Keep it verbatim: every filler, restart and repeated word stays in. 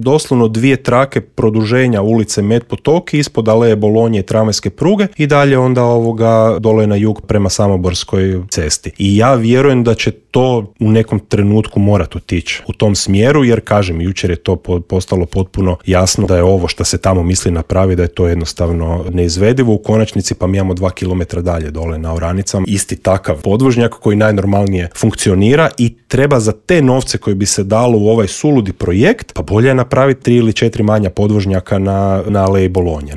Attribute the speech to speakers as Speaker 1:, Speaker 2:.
Speaker 1: doslovno dvije trake produženja ulice Met Potoki ispod Aleje Bolonje i tramvajske pruge i dalje onda ovoga dole na jug prema Samoborskoj cesti. I ja vjerujem da će to u nekom trenutku morati otići u tom smjeru, jer kažem, jučer je to postalo potpuno jasno da je ovo što se tamo misli napraviti, da je to jednostavno neizvedivo. U konačnici pa mi imamo dva kilometra dalje dole na Oranicama isti takav podvožnjak koji najnormalnije funkcionira i treba za te novce koji bi se dalo u ovaj suludi projekt, pa bolje je napraviti tri ili četiri manja podvožnjaka na, na Aleji Bolonje.